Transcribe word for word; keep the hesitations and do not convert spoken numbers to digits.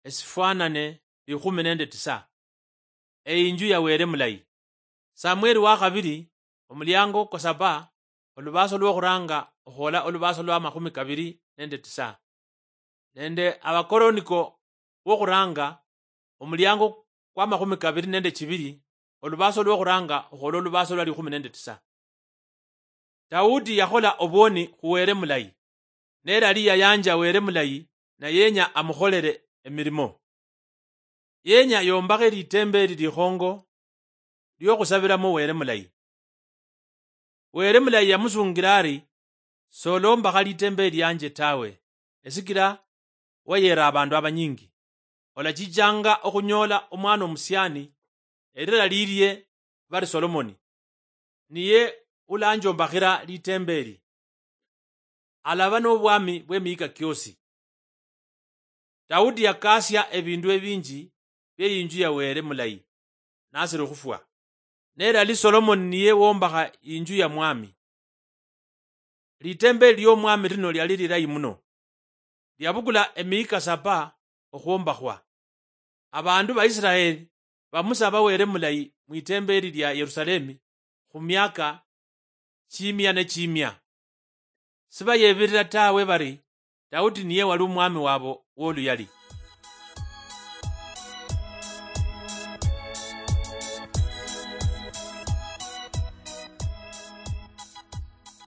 esifwanane likhumi nende tisa. Eyinju ya Wele mulayi. Samweli wa khabili, omuliango kwa saba, olubaaso lwokhuranga okhwola olubaaso lwa makhumi kabili nende tisa. Nende Abakoroniko wokhuranga, omuliango kwa makhumi kabili nende chibili, olubaaso lwokhuranga okhwola olubaaso lwa likhumi nende tisa. Daudi yakhola obwoni khu Wele mulayi, nelali yayanja Wele mulayi, na yenya amukholele emilimo. Yenya yombakhe litembeli likhongo liokhusabilamo Wele mulayi. Wele mulayi yamusungila ari, solombakha litembeli lianje tawe, esikila wayera abandu abanyingi. Olachichanga okhunyoola omwana omusiani, elira lilie bari Solomoni, niye ulanjombakhira litembeli. Alaba nobwami bwemihika kiosi. Daudi yakasia ebindu ebinji bie inju ya Wele mulayi, nasiri okhufwa. Nelali Solomoni niye wombakha inju ya mwami. Litembeli liomwami lino liali lilayi muno. Liabukula emihika saba okhwombakhwa. Abandu ba Israeli bamusaba Wele mulayi mwitembeli lia Yerusalemi khumiaka chimia ne chimia. Sibayebirira tawe bari Daudi niye wali omwami wabo woluyali.